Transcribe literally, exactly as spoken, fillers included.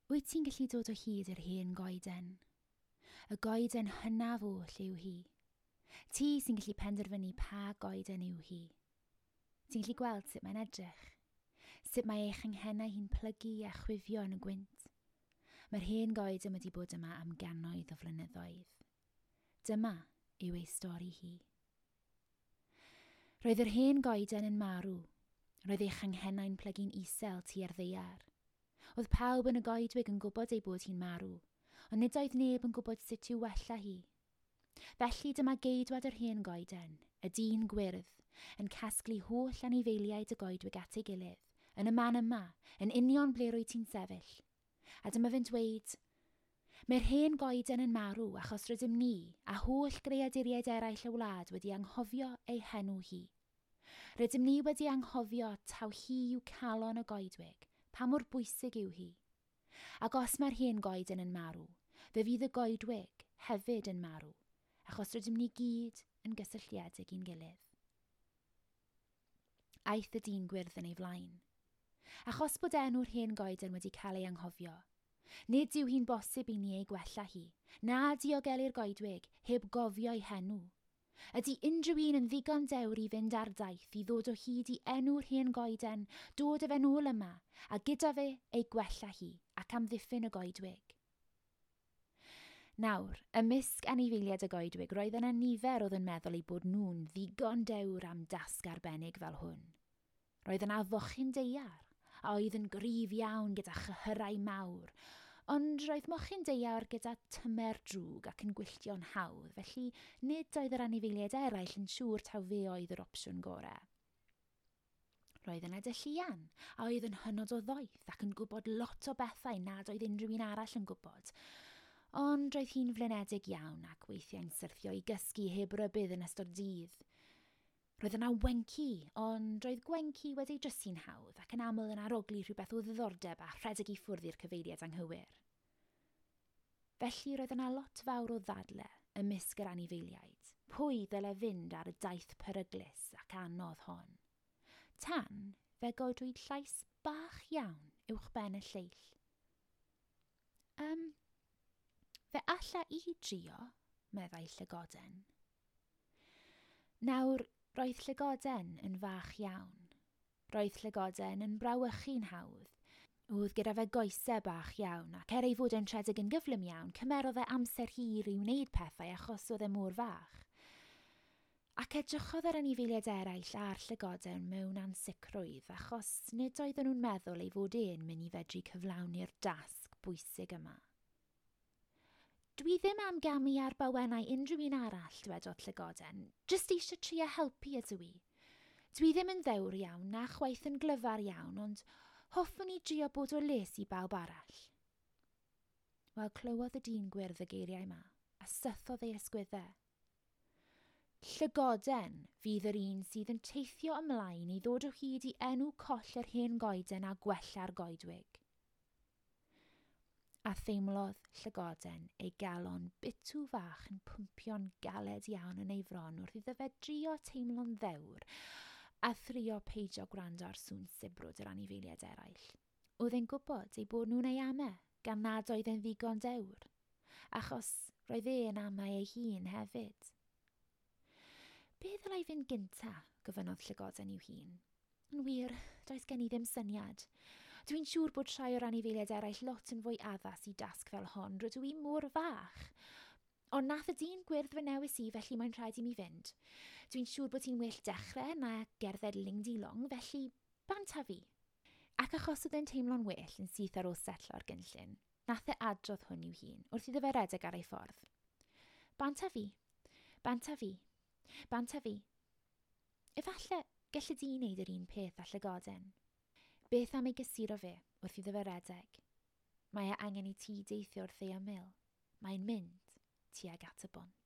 Wyt ti'n gallu dod o hyd i'r hen goeden? Y goeden hynaf oll yw hi. Ti sy'n gallu penderfynu pa goeden yw hi. Ti'n gallu gweld sut mae'n edrych. Sut mae ei changhennau hi'n plygu a chwifio yn y gwynt. Mae'r hen goeden wedi bod yma am gannoedd o flynyddoedd. Dyma yw ei stori hi. Roedd yr hen goeden yn marw. Roedd ei changhennau'n plygu'n isel tua'r ddaear. Oedd pawb yn y goedwig yn gwybod ei bod hi'n marw, ond nid oedd neb yn gwybod sut i'w wella hi. Felly dyma geidwad yr hen goeden, y dyn gwyrdd, yn casglu holl anifeiliaid y goedwig at ei gilydd, yn y man yma, yn union ble rwyt ti'n sefyll. A dyma fe'n dweud, mae'r hen goeden yn marw achos rydym ni a holl greaduriaid eraill y wlad wedi anghofio ei henw hi. Rydym ni wedi anghofio taw hi yw calon y goedwig, pa mor bwysig yw hi. Ac os mae'r hen goeden yn marw, fe fydd y goedwig hefyd yn marw, achos rydym ni gyd yn gysylltiedig i'n gilydd. Aeth y dyn gwyrdd yn ei flaen. Achos bod enw'r hen goeden wedi cael ei anghofio, nid yw hi'n bosib i ni ei gwella hi, na diogelu'r goedwig heb gofio ei henw. Ydy unrhyw un yn ddigon dewr i fynd ar daith i ddod o hyd i enw'r hen goeden, dod â fe nôl yma, a gyda fe ei gwella hi ac amddiffyn y goedwig. Nawr, ymysg anifeiliaid y goedwig, roedd yna nifer oedd yn meddwl eu bod nhw'n ddigon dewr am dasg arbennig fel hwn. Roedd yna fochyn daear, a oedd yn gryf iawn gyda chyhyrau mawr, ond roedd mochyn daear gyda tymer drwg ac yn gwylltio'n hawdd, felly nid oedd yr anifeiliaid eraill yn siŵr taw fe oedd yr opsiwn gorau. Roedd yna dylluan, a oedd yn hynod o ddoeth ac yn gwybod lot o bethau nad oedd unrhyw un arall yn gwybod. Ond roedd hi'n flinedig iawn ac weithiau'n syrthio i gysgu heb rybudd yn ystod dydd. Roedd yna Gwenci, ond roedd Gwenci wedi drysu'n hawdd ac yn aml yn arogli rhywbeth o ddiddordeb a rhedeg i ffwrdd i'r cyfeiriad anghywir. Felly roedd yna lot fawr o ddadle ymysg yr anifeiliaid. Pwy ddyle fynd ar y daith peryglus ac anodd hon? Tan fe godwyd llais bach iawn uwch ben y lleill. Um, fe alla i drio, meddai Llygoden. Nawr, roedd Llygoden yn fach iawn. Roedd Llygoden yn brawychu'n hawdd. Oedd gyda fe goesau bach iawn, ac er ei fod yn rhedeg yn gyflym iawn, cymerodd e amser hir i wneud pethau achos oedd e mor fach. Ac edrychodd yr anifeiliaid eraill ar Llygoden mewn ansicrwydd, achos nid oedden nhw'n meddwl ei fod e'n mynd i fedru cyflawni'r dasg bwysig yma. Dwi ddim am gamu ar bawennau unrhyw un arall, dwedodd Llygoden. Jyst eisiau trio helpu ydw i. Dwi ddim yn ddewr iawn, na chwaith yn glyfar iawn, ond hoffwn i drio bod o les i bawb arall. Wel, clywodd y dyn gwyrdd y geiriau yma, a sythodd ei ysgwyddau. Llygoden fydd yr un sydd yn teithio ymlaen i ddod o hyd i enw coll yr hen goeden a gwella'r goedwig. A theimlodd Llygoden ei galon bitw fach yn pwmpio'n galed iawn yn ei fron wrth iddo fe drio teimlo'n ddewr a thrio peidio gwrando ar sŵn sibrwd yr anifeiliaid eraill. Oedd e'n gwybod ei bod nhw'n ei amau gan nad oedd e'n ddigon dewr, achos roedd e'n amau ei hun hefyd. Be ddylai fynd gynta, gofynnodd Llygoden i'w hun. Yn wir, does gen i ddim syniad. Dwi'n siŵr bod rhai o'r anifeiliaid eraill lot yn fwy addas i dasg fel hon, rydw i mor fach. Ond nath y dyn gwyrdd fy newis i, felly mae'n rhaid i mi fynd. Dwi'n siŵr bod hi'n well dechrau na gerdded ling-di-long, felly bant â fi. Ac achos oedd e'n teimlo'n well yn syth ar ôl setlo'r gynllun, nath e adrodd hwn i'w hun wrth iddo fe redeg ar ei ffordd. Bant â fi, bant â fi, bant â fi. Efallai gelli di wneud yr un peth â Llygoden. Beth am ei gysuro fe wrth iddo fe redeg? Mae e angen i ti deithio wrth ei ymyl. Mae'n mynd tuag at y bont.